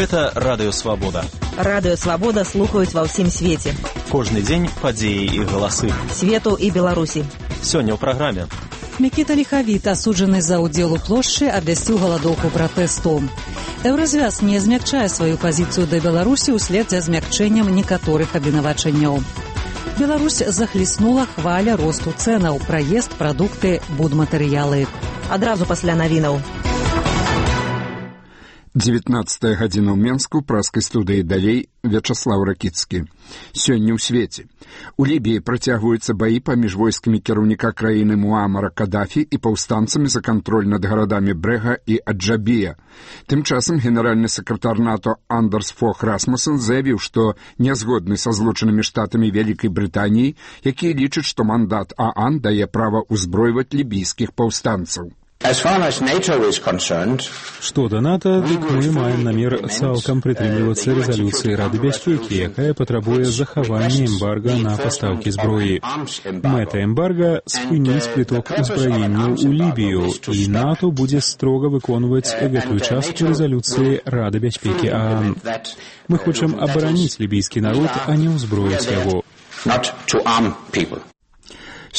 Гэта Радыё Свабода. Радыё Свабода слухаюць ва ўсім свеце. Кожны дзень падзеі і галасы. Свету і Беларусі. Сёння ў праграме. Мікіта Ліхавіт, асуджаны за ўдзел у плошчы, абвясціў галадоўку пратэсту. Еўразвяз не змякчае сваю пазіцыю да Беларусі ўслед за змякчэннем некаторых абвінавачанняў. Беларусь захліснула хваля росту цэнаў, праезд, прадукты, будматэрыялы. Адразу пасля навінаў. 19 гадзіна ў Менску, праскай студыі далей Вячаслаў Ракіцкі. Сёння ў свеце. У Лібіі працягваюцца баі паміж войскамі кіраўніка краіны Муамара Кадафі і паўстанцамі за кантроль над гарадамі Брэга і Аджабія. Тым часам генеральны сакратар НАТО Андерс Фох Расмуссен заявіў, што нязгодны са злучанымі штатамі Вялікай Брытаніі, якія лічаць, што мандат ААН дае права ўзбройваць лібійскіх паўстанцаў. Што да НАТО, дык мы маем намер цалкам прытрымлівацца рэзалюцыі Рады бяспекі, якая патрабуе захавання эмбарга на пастаўкі зброі. Мэта эмбарга — спыніць прыток узбраенняў у Лібію, і НАТО будзе строга выконваць гэтую частку рэзалюцыі Рады бяспекі ААН. Мы хочам абараніць лібійскі народ, а не ўзброіць яго.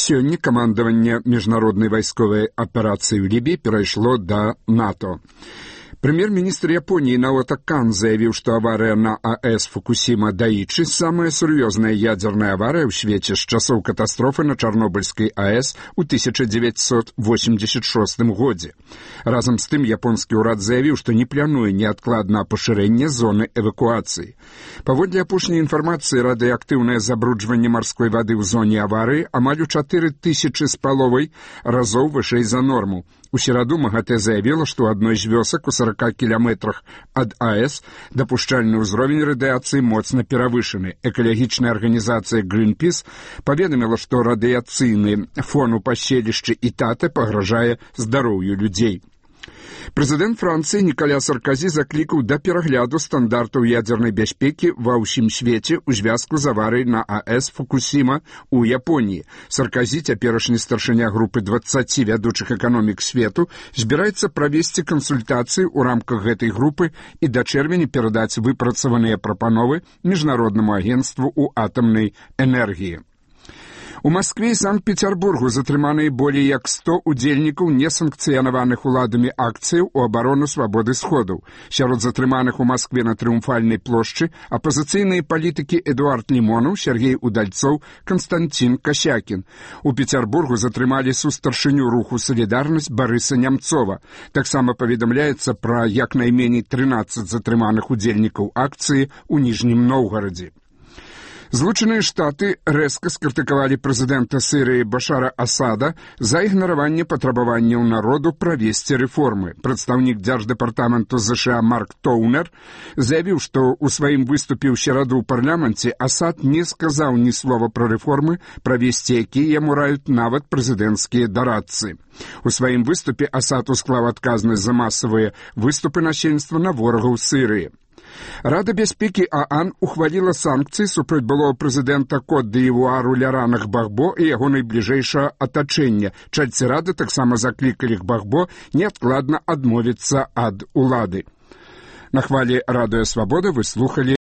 Сёння камандаванне міжнароднай вайсковай аперацыі ў Лібіі перайшло да НАТО. Прэм'ер-міністр Японіі Наото Кан заявіў, што аварыя на АЭС Фукусіма-Даічы — самая сур'ёзная ядзерная аварыя ў свеце з часоў катастрофы на Чарнобыльскай АЭС у 1986 годзе. Разам з тым японскі ўрад заявіў, што не плануе неадкладна пашырэнне зоны эвакуацыі. Паводле апошняй інфармацыі, радыеактыўнае забруджванне марской вады ў зоне аварыі амаль у 4500 разоў вышэй за норму. У сераду МАГАТЭ заявіла, што ў адной з вёсак у 40 кіламетрах ад АЭС дапушчальны ўзровень радыяцыі моцна перавышаны. Экалагічная арганізацыя Greenpeace паведаміла, што радыяцыйны фон у паселішчы Ітате пагражае здароўю людзей. Прэзідэнт Францыі Нікаля Сарказі заклікаў да перагляду стандартаў ядзернай бяспекі ва ўсім свеце ў звязку з аварыяй на АЭС Фукусіма ў Японіі. Сарказі, цяперашні старшыня групы 20 вядучых эканомік свету, збіраецца правесці кансультацыі ў рамках гэтай групы і да чэрвеня перадаць выпрацаваныя прапановы Міжнароднаму агенцтву ў атамнай энергіі. У Маскве і Санкт-Петербургу затрыманыя болей як 100 удзельнікаў несанкцыянаваных уладамі акцыяў у абарону свабоды сходаў. Сярод затрыманых у Маскве на Трыумфальнай плошчы апазіцыйныя палітыкі Эдуард Лімонаў, Сергей Удальцоў, Канстантин Касякін. У Петербургу затрымалі сустаршыню руху «Салідарнасць» Барыса Нямцова. Таксама паведамляецца пра як найменей 13 затрыманых удзельнікаў акцыі ў Ніжнім Новгарадзе. Злучаныя Штаты рэзка скрытыкавалі прэзідэнта Сірыі Башара Асада за ігнараванне патрабаванняў народу правесці рэформы. Прадстаўнік дзярждэпартаменту ЗША Марк Тоўнер заявіў, што ў сваім выступе ў сераду ў парламенце Асад не сказаў ні слова пра рэформы, правесці якія яму раюць нават прэзідэнцкія дарадцы. У сваім выступе Асад усклаў адказнасць за масавыя выступы насельніцтва на ворагаў Сірыі. Рада бяспекі ААН ухваліла санкцыі супраць былога прэзідэнта Кот-д'Івуару Лярана Гбагбо і яго найбліжэйшае атачэнне. Чальцы рады таксама заклікалі Гбагбо неадкладна адмовіцца ад улады. На хвалі Радыё Свабода вы слухалі